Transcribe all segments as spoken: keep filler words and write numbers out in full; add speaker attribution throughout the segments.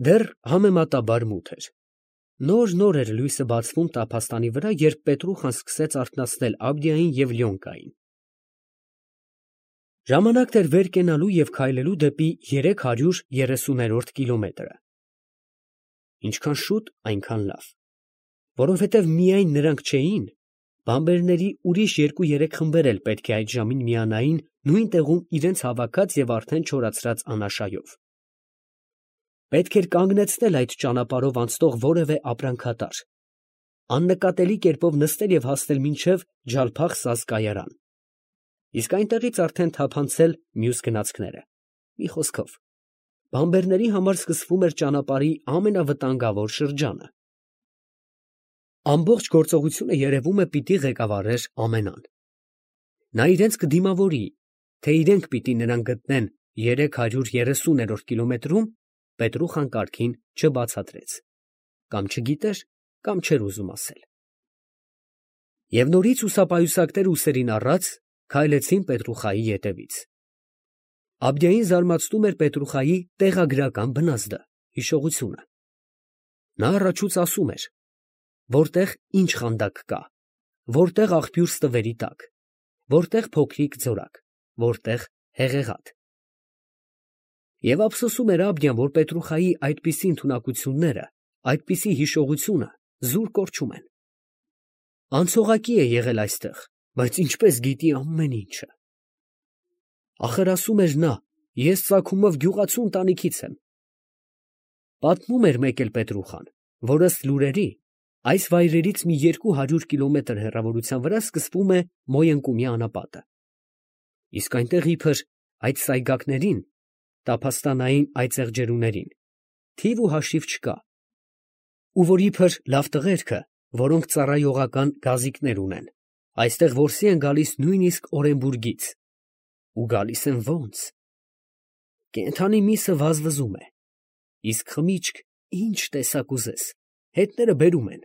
Speaker 1: Դեռ համեմատաբար մութ էր։ Նոր֊նոր էր լույսը բացվում տափաստանի վրա, երբ Պետրուխան սկսեց արթնացնել Աբդիային և Լյոնկային։ Ժամանակն էր վեր կենալու և քայլելու դեպի երեք հարյուր երեսուներորդ կիլոմետրը։ Ինչքան շուտ, այնքան լավ, որովհետև միայն նրանք չէին, բանբերների ուրիշ երկու֊երեք խմբեր էլ պետք է այդ ժամին միանային նույն տեղում իրենց հավաքած և արդեն չորացրած անաշայով։ Պետք էր կանգնեցնել այդ ճանապարհով անցնող որևէ ապրանքատար, աննկատելի կերպով նստել և հասնել մինչև Ջալփախ կայարան, իսկ այնտեղից արդեն թափանցել մյուս գնացքները։ Մի խոսքով, բանբերների համար սկսվում էր ճանապարհի ամենավտանգավոր շրջանը։ Ամբողջ գործողությունը երևում է պիտի ղեկավարեր Ամենան։ Նա իրենց կդիմավորի, թե իրենք պիտի նրան գտնեն երեք հարյուր երեսուներորդ կիլոմետրում, Պետրուխան կարգին չբացատրեց, կամ չգիտեր, կամ չէր ուզում ասել։ Եվ նորից հուսապայուսակներ ուսերին առած քայլեցին Պետրուխայի ետևից։ Աբդիային զարմացնում էր Պետրուխայի տեղագրական բնազդը, հիշողությունը։ Նա առաջուց ասում էր, որտեղ ինչ խանդակ կա, որտեղ աղբյուր ստվերի տակ, որտեղ փոքրիկ ձորակ, որտեղ հեղեղատ։ Եվ ափսոսում էր Աբդիան, որ Պետրուխայի այդպիսի ընդունակությունները, այդպիսի հիշողությունը զուր կորչում են։ Անցողակի է եղել այստեղ, բայց ինչպես գիտի ամեն ինչը։ Ախր ասում էր նա, ես ծագումով գյուղացու ընտանիքից եմ։ Պատմում էր մեկ էլ Պետրուխան, որ ըստ լուրերի, այս վայրերից մի երկու հարյուր կիլոմետր հեռավորության վրա սկսվում է Մոյընկումի անապատը։ Իսկ այնտեղ իբր այդ սայգակներին, տափաստանային այծեղջերուներին, թիվ ու հաշիվ չկա, ու որ իբր լավ տղերքը, որոնք ծառայողական գազիկներ ունեն, այստեղ որսի են գալիս նույնիսկ Օրենբուրգից, ու գալիս են ո՞նց։ Կենդանի միսը վազվզում է, իսկ խմիչք ինչ տեսակ ուզես, հետները բերում են։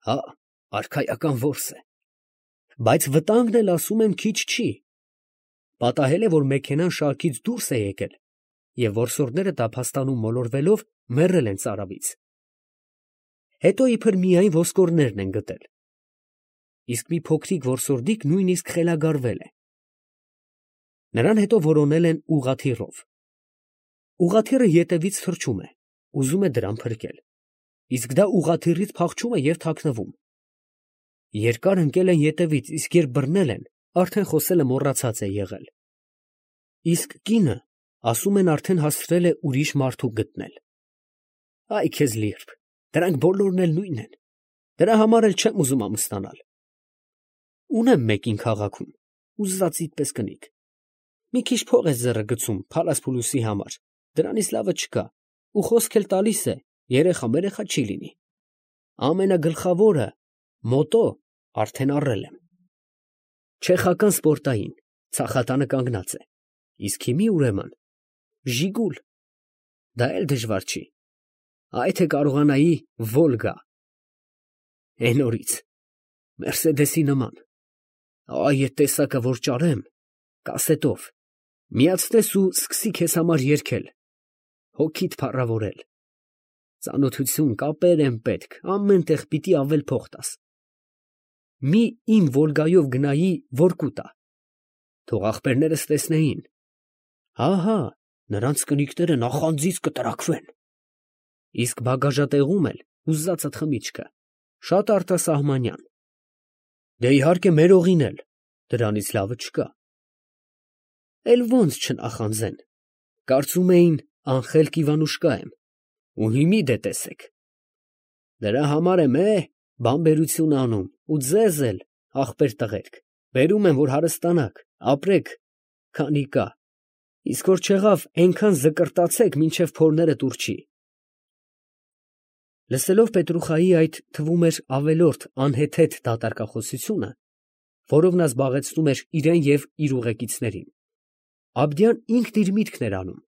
Speaker 1: Հա, արքայական որս է, բայց վտանգն էլ ասում եմ քիչ չի։ Պատահել է, որ մեքենան շարքից դուրս է եկել, և որսորդները տափաստանում մոլորվելով մեռել են ծարավից։ Հետո իբր միայն ոսկորներն են գտել, իսկ մի փոքրիկ որսորդիկ նույնիսկ խելագարվել է։ Նրան հետո որոնել են ուղղաթիռով։ Ուղղաթիռը ետևից թռչում է, ուզում է դրան փրկել, իսկ դա ուղղաթիռից փախչում է և թաքնվում։ Երկար ընկել են ետևից, իսկ երբ բռնել են, արդեն խոսելը մոռացած է եղել։ Իսկ կինը, ասում են, արդեն հասցրել է ուրիշ մարդու գտնել։ Այ քեզ լիրբ, դրանք բոլորն էլ նույնն են, դրա համար էլ չեմ ուզում ամուսնանալ։ Ունեմ մեկին քաղաքում, ուզածիդ պես կնիկ։ Մի քիչ փող է ձեռը գցում փալաս-փուլուսի համար, դրանից լավը չկա, ու խոսք էլ տալիս է, երեխա-մերեխա չի լինի։ Ամենագլխավորը, մոտո, արդեն առել եմ։ Չեխական սպորտային, ցախատանը կանգնած է, իսկ հիմի ուրեմն, Ժիգուլ, դա էլ դժվար չի, այ թե կարողանայի Վոլգա, էն օրից, Մերսեդեսի նման, այ էդ տեսակը որ ճարեմ, կասետով, միացնես ու սկսի քեզ համար երգել, հոգիդ փառավորել, ծանոթություն, կապեր են պետք, ամեն տեղ պիտի ավել փող տաս, մի իմ Վոլգայով գնայի Վորկուտա, թող ախպերներս տեսնեին, հա, նրանց կնիկները նախանձից կտրաքվեն, իսկ բագաժատեղում էլ ուզածդ խմիչքը, շատ արտասահմանյան, դե իհարկե մերողին էլ, դրանից լավը չկա, էլ ոնց չնախանձեն, կարծում էին անխելք Իվանուշկա եմ, ու հիմի դե տեսեք, դրա համար եմ է, բանբերություն անում, ու ձեզ էլ, ախպեր տղերք, բերում եմ, որ հարստանաք, ապրեք, քանի կա, իսկ որ չեղավ, այնքան զկրտացեք, մինչև փորները տուրչի։ Լսելով Պետրուխայի այդ թվում էր ավելորդ անհեթեթ դատարկախոսությունը, որով նա զբաղեցնում էր իրան և իր ուղեկիցներին, Աբդիան ինքն իր միտքն էր անում,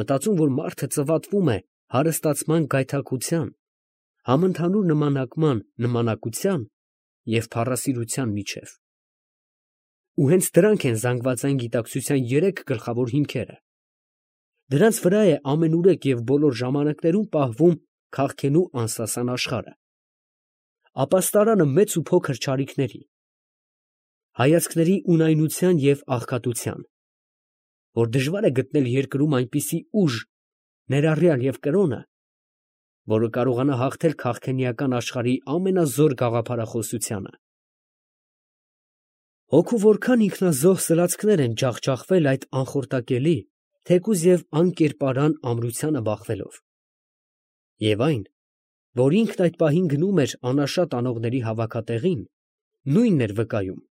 Speaker 1: մտածում, որ մարդը ծվատվում է հարստացման գայթակղության, համընդհանուր նմանակման նմանակության և փառասիրության միջև։ Ու հենց դրանք են զանգվածային գիտակցության երեք գլխավոր հիմքերը, Դրանց վրա է ամենուրեք և բոլոր ժամանակներում պահվում քաղքենու անսասան աշխարհը, ապաստարանը մեծ ու փոքր չարիքների, հայացքների ունայնության և աղքատության, որ դժվար է գտնել երկրում այնպիսի ուժ, ներառյալ և կրոնը, որը կարողանա հաղթել քաղքենիական աշխարհի ամենազոր գաղափարախոսությանը։ Հոգու որքան ինքնազոհ սլացքներ են ջախջախվել այդ անխորտակելի, թեկուզ և անկերպարան ամրությանը բախվելով, և այն, որ ինքն այդ պահին գնում էր անաշատ անողների հավաքատեղին, նույնն էր վկայում.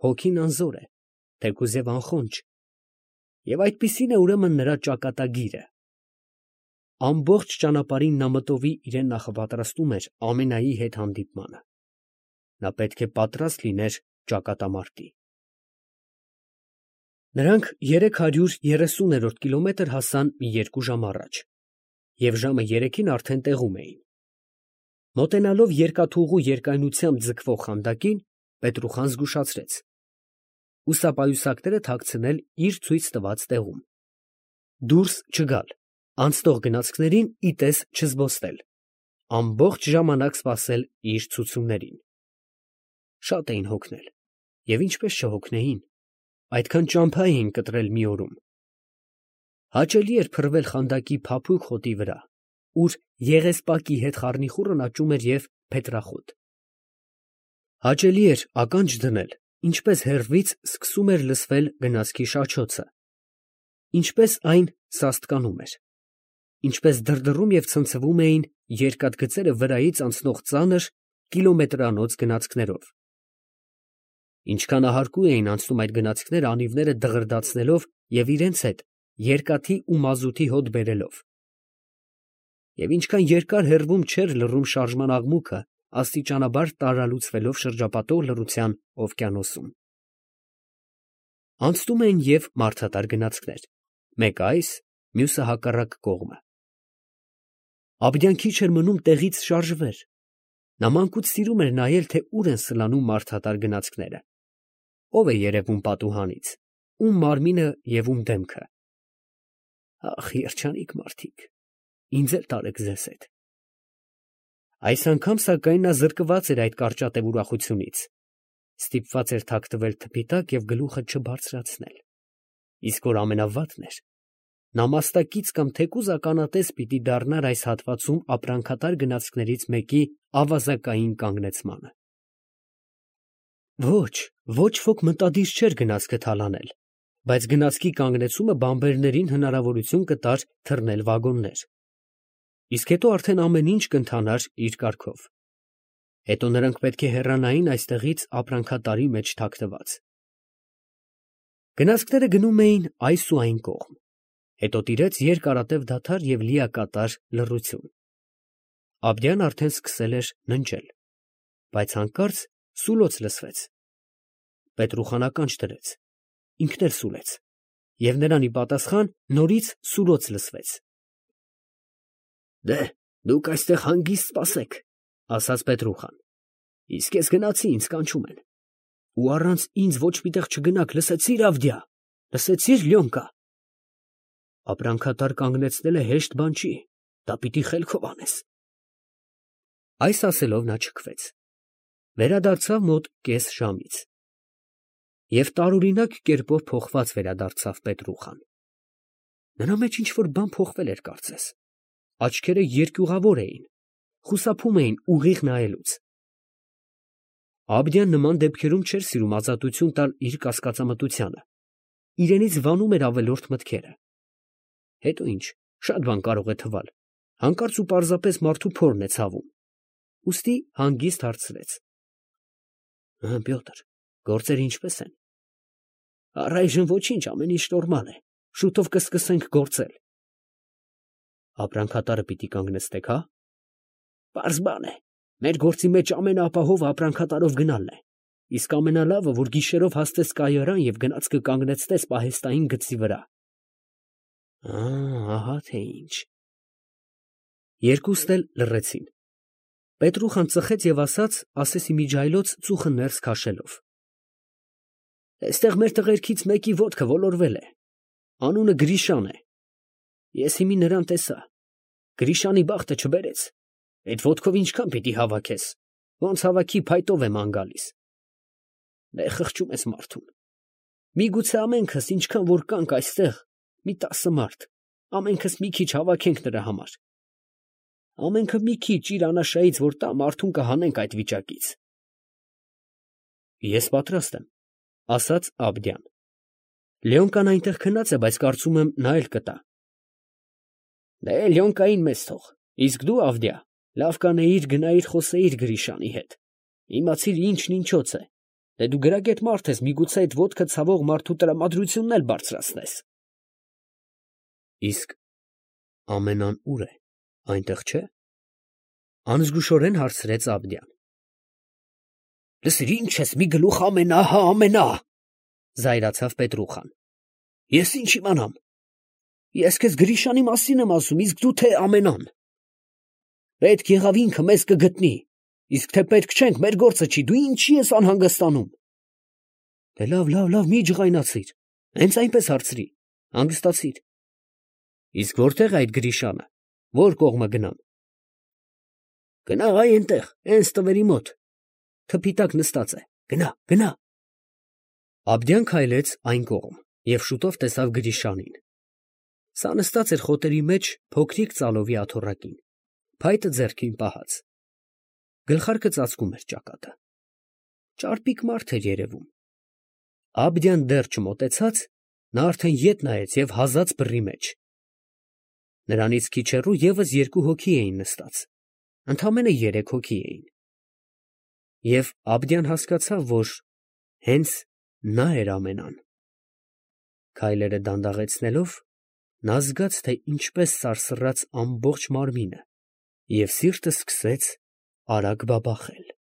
Speaker 1: հոգին անզոր է, թեկուզ և անխոնջ, և այդպիսին է ուրեմն նրա ճակատագիրը։ Ամբողջ ճանապարհին նա մտովի իրան նախապատրաստում էր ամենայի հետ հանդիպմանը. նա պետք է պատրաստ լիներ ճակատամարտի։ Նրանք երեք հարյուր երեսուներորդ կիլոմետր հասան մի երկու ժամ առաջ, և ժամը երեքին արդեն տեղում էին։ Մոտենալով երկաթուղու երկայնությամբ ձգվող խանդակին, Պետրուխան զգուշացրեց. «Ուստապայուսակները թաքցնել իր ցույց տված տեղում, դուրս չգալ, անցնող գնացքներին ի տես չզբոսնել, ամբողջ ժամանակ սպասել իր ցուցումներին»։ Շատ էին հոգնել, և ինչպես չհոգնեին, այդքան ճամփա էին կտրել մի օրում։ Հաճելի էր փռվել խանդակի փափուկ խոտի վրա, ուր եղեսպակի հետ խառնիխուռն աճում էր և փետրախոտ։ Հաճելի էր ականջ դնել, ինչպես հեռվից սկսում էր լսվել գնացքի շաչոցը, ինչպես այն սաստկանում էր, ինչպես դրդռում և ցնցվում էին երկաթգծերը վրայից անցնող ծանր, կիլոմետրանոց գնացքներով։ Ինչքան ահարկու էին անցնում այդ գնացքները անիվները դղրդացնելով և իրենց հետ երկաթի ու մազութի հոտ բերելով։ Եվ ինչքան երկար հեռվում չէր լռում շարժման աղմուկը, աստիճանաբար տարալուծվելով շրջապատող լռության օվկիանոսում։ Անցնում էին և մարդատար գնացքներ, մեկը այս, մյուսը հակառակ կողմը։ Աբդյան քիչ էր մնում տեղից շարժվեր. նա մանկուց սիրում էր նայել, թե ուր են սլանում մարդատար գնացքները, ով է երևում պատուհանից, ում մարմինը և ում դեմքը։ Ա՜խ, երջանիկ մարդիկ, ինձ էլ տարեք ձեզ հետ։ Այս անգամ սակայն նա զրկված էր այդ կարճատև ուրախությունից, ստիպված էր թաքնվել թփի տակ և գլուխը չբարձրացնել, իսկ որ ամենավատն էր, նա մաստակից կամ թեկուզ ականատես պիտի դառնար այս հատվածում ապրանքատար գնացքներից մեկի ավազակային կանգնեցմանը։ Ոչ, ոչ ոք մտադիր չէր գնացքը թալանել, բայց գնացքի կանգնեցումը բանբերներին հնարավորություն կտար թռնել վագոններ, իսկ հետո արդեն ամեն ինչ կընթանար իր կարգով։ Հետո նրանք պետք է հեռանային այստեղից ապրանքատարի մեջ թաքնված։ Գնացքները գնում էին այս ու այն կողմ, հետո տիրեց երկարատև դադար և լիակատար լռություն։ Աբդյան արդեն սկսել էր ննջել, բայց հանկարծ սուլոց լսվեց։ Պետրուխան ականջ դրեց, ինքն էլ սուլեց, և նրան ի պատասխան նորից սուլոց լսվեց։ «Դե՛հ, դուք այստեղ հանգիստ սպասեք, ֊ ասաց Պետրուխան, ֊ իսկ ես գնացի, ինձ կանչում են։ Ու առանց ինձ ոչ մի տեղ չգնաք, լսեցի՞ր, Ավդյա, լսեցի՞ր, Լյոնկա։ Ապրանքատար կանգնեցնելը հեշտ բան չի, դա պիտի խելքով անես»։ Այս ասելով նա չքվեց, վերադարձավ մոտ կես ժամից։ Եվ տարօրինակ կերպով փոխված վերադարձավ Պետրուխան։ Նրա մեջ ինչ֊որ բան փոխվել էր կարծես, աչքերը երկյուղավոր էին, խուսափում էին ուղիղ նայելուց։ Աբդյան նման դեպքերում չէր սիրում ազատություն տալ իր կասկածամտությանը, իրենից վանում էր ավելորդ մտքերը։ Հետո ինչ, շատ բան կարող է թվալ, հանկարծ ու պարզապես մարդու փորն է ցավում, ուստի հանգիստ հարցրեց. Պյոտր, գործերը ի՞նչպես են։ Առայժմ ոչինչ, ամեն ինչ նորմալ է, շուտով կսկսենք գործել։ Ապրանքատարը պիտի կանգնեցնեք, հա։ Պարզ բան է, մեր գործի մեջ ամենաապահովը ապրանքատարով գնալն է, իսկ ամենալավը, որ գիշերով հասնես կայարան և գնացքը կանգնեցնես պահեստային գծի վրա։ Ահա թե ինչ։ Երկուսն էլ լռեցին։ Պետրուխան ծխեց և ասաց, ասեսի միջայլոց ծուխը ներս քաշելով. Այստեղ մեր տղերքից մեկի ոտքը ոլորվել է, անունը Գրիշան է, Ես հիմի նրան տեսա։ Գրիշանի բախտը չբերեց։ Այդ ոտքով ինչքան պիտի հավաքես, ոնց հավաքի փայտով է ման գալիս։ Դե խղճում ես մարդուն։ Միգուցե ամենքս ինչքան որ կանք այստեղ, մի տասը մարդ, ամենքս մի քիչ հավաքենք նրա համար։ Ամենքը մի քիչ իր անաշայից որ տա մարդուն կհանենք այդ վիճակից։ Ես պատրաստ եմ, ասաց Աբդյան։ Լյոնկան այնտեղ քնած է, բայց կարծում եմ նա էլ կտա։ Դե Լյոնկային մեզ թող, իսկ դու Ավդիա, լավ կանեիր գնայիր խոսեիր Գրիշանի հետ, իմացիր ինչն ինչոց է, դե դու գրագետ մարդ ես, միգուցե այդ ոտքը ցավող մարդու տրամադրությունն էլ բարձրացնես։ Իսկ Ամենան ուր է, այնտեղ չէ։ Անզգուշորեն հարցրեց Աբդյան։ Լսիր, ինչ ես մի գլուխ ամենա, հա ամենա, զայրացավ Պետրուխան։ Ես ինչ իմանամ։ Ես քեզ Գրիշանի մասին եմ ասում, իսկ դու թե ամենան։ Պետք եղավ ինքը մեզ կգտնի, իսկ թե պետք չենք, մեր գործը չի, դու ինչի ես անհանգստանում։ Դե լավ, լավ, լավ, մի ջղայնացիր, հենց այնպես հարցրի, հանգստացիր։ Իսկ որտեղ է այդ Գրիշանը, որ կողմը գնամ։ Գնա այ այնտեղ, հենց տվերի մոտ, թփի տակ նստած է, գնա, գնա։ Աբդյան քայլեց այն կողմ և շուտով տեսավ Գրիշանին։ Սա նստած էր խոտերի մեջ փոքրիկ ծալովի աթոռակին, փայտը ձեռքին պահած։ Գլխարկը ծածկում էր ճակատը։ Ճարպիկ մարդ էր երևում։ Աբդյան դեռ չմոտեցած, նա արդեն ետ նայեց և հազաց բռի մեջ։ Նրանից քիչ հեռու ևս երկու հոգի էին նստած, ընդամենը երեք հոգի էին։ Եվ Աբդյան հասկացավ, որ հենց նա էր ամենան։ Քայլերը դանդաղեցնելով, նա զգաց, թե ինչպես սարսռաց ամբողջ մարմինը, և սիրտը սկսեց արագ բաբախել։